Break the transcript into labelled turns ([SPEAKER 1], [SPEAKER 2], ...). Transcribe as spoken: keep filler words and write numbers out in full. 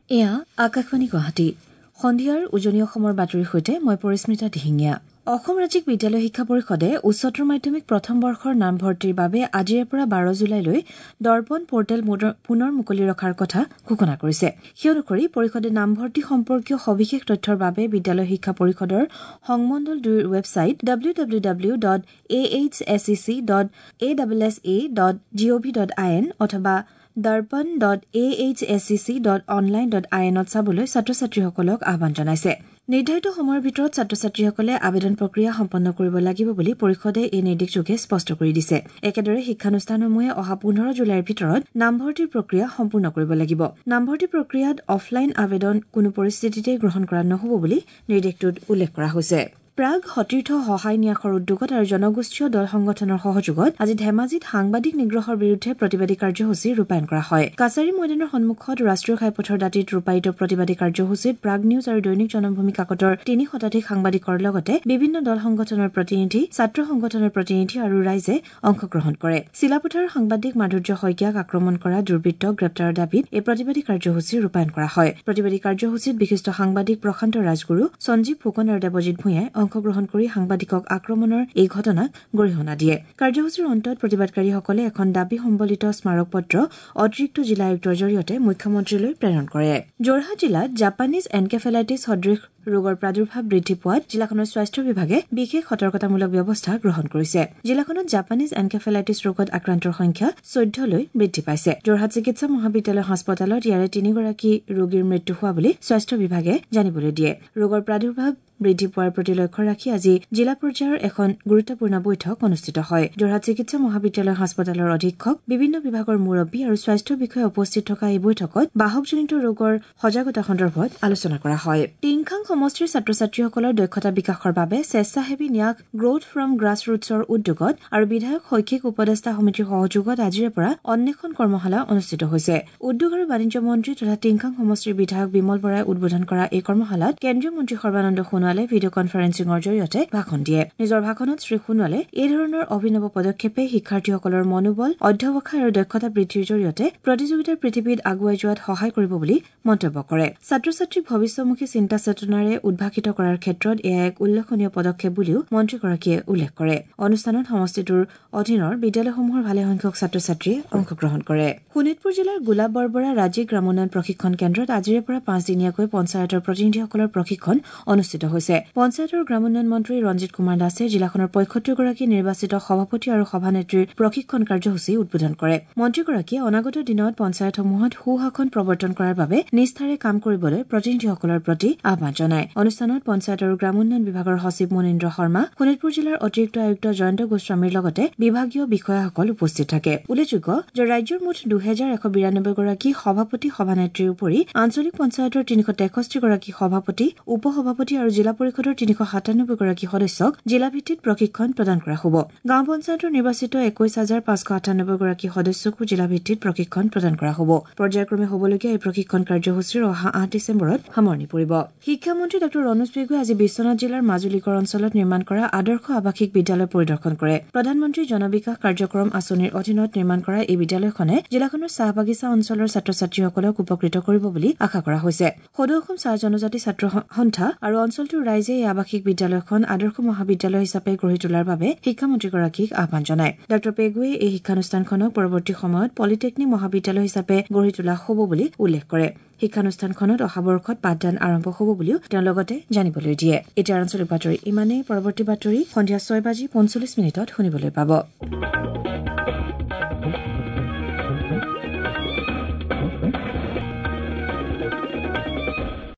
[SPEAKER 1] এয়া আকাশবাণী গুৱাহাটী। সন্ধিয়াৰ উজনি অসমৰ বাতৰিৰ সৈতে মই পৰিস্মিতা দিহিঙীয়া। অসম ৰাজ্যিক বিদ্যালয় শিক্ষা পৰিষদে উচ্চতৰ মাধ্যমিক প্ৰথম বৰ্ষৰ নামভৰ্তিৰ বাবে আজিৰে পৰা বাৰ জুলাইলৈ দৰ্পণ পৰ্টেল পুনৰ মুকলি ৰখাৰ কথা ঘোষণা কৰিছে। সেই অনুসৰি পৰিষদে নামভৰ্তি সম্পৰ্কীয় সবিশেষ তথ্যৰ বাবে বিদ্যালয় শিক্ষা পৰিষদৰ সংমণ্ডল দুইৰ website W W W dot A H S E C dot A double S A dot G O V dot I N অথবা Darpan dot A H S E C dot online dot I এনত চাবলৈ ছাত্ৰ ছাত্ৰীসকলক আহ্বান জনাইছে। নিৰ্ধাৰিত সময়ৰ ভিতৰত ছাত্ৰ ছাত্ৰীসকলে আবেদন প্ৰক্ৰিয়া সম্পন্ন কৰিব লাগিব বুলি পৰিষদে এই নিৰ্দেশযোগে স্পষ্ট কৰি দিছে। একেদৰে শিক্ষানুষ্ঠানসমূহে অহা পোন্ধৰ জুলাইৰ ভিতৰত নামভৰ্তিৰ প্ৰক্ৰিয়া সম্পূৰ্ণ কৰিব লাগিব। নামভৰ্তি প্ৰক্ৰিয়াত অফলাইন আবেদন কোনো পৰিস্থিতিতে গ্ৰহণ কৰা নহ'ব বুলি নিৰ্দেশটোত উল্লেখ কৰা হৈছে। প্ৰাগ সতীৰ্থ সহায় ন্যাসৰ উদ্যোগত আৰু জনগোষ্ঠীয় দল সংগঠনৰ সহযোগত আজি ধেমাজিত সাংবাদিক নিগ্ৰহৰ বিৰুদ্ধে প্ৰতিবাদী কাৰ্যসূচী ৰূপায়ণ কৰা হয়। কাছাৰী ময়দানৰ সন্মুখত ৰাষ্ট্ৰীয় ঘাইপথৰ দাঁতিত ৰূপায়িত প্ৰতিবাদী কাৰ্যসূচীত প্ৰাগ নিউজ আৰু দৈনিক জনমভূমি কাকতৰ তিনি শতাধিক সাংবাদিকৰ লগতে বিভিন্ন দল সংগঠনৰ প্ৰতিনিধি, ছাত্ৰ সংগঠনৰ প্ৰতিনিধি আৰু ৰাইজে অংশগ্ৰহণ কৰে। চিলাপথাৰৰ সাংবাদিক মাধুৰ্য শইকীয়াক আক্ৰমণ কৰা দুৰ্বৃত্তক গ্ৰেপ্তাৰৰ দাবীত এই প্ৰতিবাদী কাৰ্যসূচী ৰূপায়ণ কৰা হয়। প্ৰতিবাদী কাৰ্যসূচীত বিশিষ্ট সাংবাদিক প্ৰশান্ত ৰাজগুৰু, সঞ্জীৱ ফুকন আৰু দেৱজিৎ ভূঞাই অংশগ্ৰহণ কৰি সাংবাদিকক আক্ৰমণৰ এই ঘটনাক গৰিহণা দিয়ে। কাৰ্যসূচীৰ অন্তত প্ৰতিবাদকাৰীসকলে এখন দাবী সম্বলিত স্মাৰক পত্ৰ অতিৰিক্ত জিলা আয়ুক্তৰ জৰিয়তে মুখ্যমন্ত্ৰীলৈ প্ৰেৰণ কৰে। যোৰহাট জিলাত জাপানীজ এনকেফেলাইটিছ সদৃশ ৰোগৰ প্ৰাদুৰ্ভাৱ বৃদ্ধি পোৱাত জিলাখনৰ স্বাস্থ্য বিভাগে বিশেষ সতৰ্কতামূলক ব্যৱস্থা গ্ৰহণ কৰিছে। জিলাখনত জাপানীজ এনকেফেলাইটিছ ৰোগত আক্ৰান্তৰ সংখ্যা চৈধ্যলৈ বৃদ্ধি পাইছে। যোৰহাট চিকিৎসা মহাবিদ্যালয় হাস্পতালত ইয়াৰে তিনিগৰাকী ৰোগীৰ মৃত্যু হোৱা বুলি স্বাস্থ্য বিভাগে জানিবলৈ দিয়ে। ৰোগৰ প্ৰাদুৰ্ভাৱ বৃদ্ধি পোৱাৰ প্ৰতি লক্ষ্য ৰাখি আজি জিলা পৰ্যায়ৰ এখন গুৰুত্বপূৰ্ণ বৈঠক অনুষ্ঠিত হয়। যোৰহাট চিকিৎসা মহাবিদ্যালয় হাস্পতালৰ অধীক্ষক, বিভিন্ন বিভাগৰ মুৰব্বী আৰু স্বাস্থ্য বিষয়া উপস্থিত থকা এই বৈঠকত বাহকজনিত ৰোগৰ সজাগতা সন্দৰ্ভত আলোচনা কৰা হয়। টিংখাং সমষ্টিৰ ছাত্ৰ ছাত্ৰীসকলৰ দক্ষতা বিকাশৰ বাবে স্বেচ্ছাসেৱী ন্যাস গ্ৰথ ফ্ৰম গ্ৰাছ ৰুটছৰ উদ্যোগত আৰু বিধায়ক শৈক্ষিক উপদেষ্টা সমিতিৰ সহযোগত আজিৰে পৰা অন্বেষণ কৰ্মশালা অনুষ্ঠিত হৈছে। উদ্যোগ আৰু বাণিজ্য মন্ত্ৰী তথা টিংখাং সমষ্টিৰ বিধায়ক বিমল বৰাই উদ্বোধন কৰা এই কৰ্মশালাত কেন্দ্ৰীয় মন্ত্ৰী সৰ্বানন্দ সোণোৱালে ভিডিঅ' কনফাৰেন্সিঙৰ জৰিয়তে ভাষণ দিয়ে। নিজৰ ভাষণত শ্ৰীসোণোৱালে এই ধৰণৰ অভিনৱ পদক্ষেপে শিক্ষাৰ্থীসকলৰ মনোবল, অধ্যৱসায় আৰু দক্ষতা বৃদ্ধিৰ জৰিয়তে প্ৰতিযোগিতাৰ পৃথিৱীত আগুৱাই যোৱাত সহায় কৰিব বুলি মন্তব্য কৰে। ছাত্ৰ ছাত্ৰীক ভৱিষ্যমুখী চিন্তা চেতনাৰে উদ্ভাসিত কৰাৰ ক্ষেত্ৰত এয়া এক উল্লেখনীয় পদক্ষেপ বুলিও মন্ত্ৰীগৰাকীয়ে উল্লেখ কৰে। অনুষ্ঠানত সমষ্টিটোৰ অধীনৰ বিদ্যালয়সমূহৰ ভালেসংখ্যক ছাত্ৰ ছাত্ৰীয়ে অংশগ্ৰহণ কৰে। শোণিতপুৰ জিলাৰ গোলাপ বৰবৰা ৰাজ্যিক গ্ৰামোন্নয়ন প্ৰশিক্ষণ কেন্দ্ৰত আজিৰে পৰা পাঁচদিনীয়াকৈ পঞ্চায়তৰ প্ৰতিনিধিসকলৰ প্ৰশিক্ষণ অনুষ্ঠিত হৈছে। পঞ্চায়তৰ গ্ৰামোন্নয়ন মন্ত্ৰী ৰঞ্জিত কুমাৰ দাসে জিলাখনৰ পঁয়সত্তৰগৰাকী নিৰ্বাচিত সভাপতি আৰু সভানেত্ৰীৰ প্ৰশিক্ষণ কাৰ্যসূচী উদ্বোধন কৰে। মন্ত্ৰীগৰাকীয়ে অনাগত দিনত পঞ্চায়তসমূহত সুশাসন প্ৰৱৰ্তন কৰাৰ বাবে নিষ্ঠাৰে কাম কৰিবলৈ প্ৰতিনিধিসকলৰ প্ৰতি আহ্বান জনায়। অনুষ্ঠানত পঞ্চায়ত আৰু গ্ৰামোন্নয়ন বিভাগৰ সচিব মনীন্দ্ৰ শৰ্মা, শোণিতপুৰ জিলাৰ অতিৰিক্ত আয়ুক্ত জয়ন্ত গোস্বামীৰ লগতে বিভাগীয় বিষয়াসকল উপস্থিত থাকে। উল্লেখযোগ্য যে ৰাজ্যৰ মুঠ দুহেজাৰ এশ বিৰানব্বৈগৰাকী সভাপতি সভানেত্ৰীৰ উপৰি আঞ্চলিক পঞ্চায়তৰ তিনিশ তেষষ্ঠিগৰাকী সভাপতি, উপ সভাপতি আৰু জিলা পৰিষদৰ তিনিশ সাতানব্বৈগৰাকী সদস্যক জিলাভিত্তিত প্ৰশিক্ষণ প্ৰদান কৰা হ'ব। গাঁও পঞ্চায়তৰ নিৰ্বাচিত একৈশ হাজাৰ পাঁচশ আঠানব্বৈগৰাকী সদস্যকো জিলাভিত্তিত প্ৰশিক্ষণ প্ৰদান কৰা হ'ব। পৰ্যায়ক্ৰমে হ'বলগীয়া এই প্ৰশিক্ষণ কাৰ্যসূচীৰ অহা আঠ ডিচেম্বৰত সামৰণি পৰিব। শিক্ষামন্ত্ৰী ডাঃ ৰণোজ পেগুৱে আজি বিশ্বনাথ জিলাৰ মাজুলীগড় অঞ্চলত নিৰ্মাণ কৰা আদৰ্শ আৱাসিক বিদ্যালয় পৰিদৰ্শন কৰে। প্ৰধানমন্ত্ৰী জনবিকাশ কাৰ্যক্ৰম আঁচনিৰ অধীনত নিৰ্মাণ কৰা এই বিদ্যালয়খনে জিলাখনৰ চাহ বাগিচা অঞ্চলৰ ছাত্ৰ ছাত্ৰীসকলক উপকৃত কৰিব বুলি আশা কৰা হৈছে। সদৌ অসম চাহ জনজাতি ছাত্ৰ সন্থা আৰু অঞ্চলটোৰ ৰাইজে এই আৱাসিক বিদ্যালয়খন আদৰ্শ মহাবিদ্যালয় হিচাপে গঢ়ি তোলাৰ বাবে শিক্ষামন্ত্ৰীগৰাকীক আহ্বান জনায়। ডাঃ পেগুৱে এই শিক্ষানুষ্ঠানখনক পৰৱৰ্তী সময়ত পলিটেকনিক মহাবিদ্যালয় হিচাপে গঢ়ি তোলা হ'ব বুলি উল্লেখ কৰে। শিক্ষানুষ্ঠানখনত অহা বৰ্ষত পাঠদান আৰম্ভ হ'ব বুলিও তেওঁ লগতে জানিবলৈ দিয়ে। এতিয়া আঞ্চলিক বাতৰি ইমানেই। পৰৱৰ্তী বাতৰি সন্ধিয়া ছয় বাজি পঞ্চল্লিছ মিনিটত শুনিবলৈ পাব।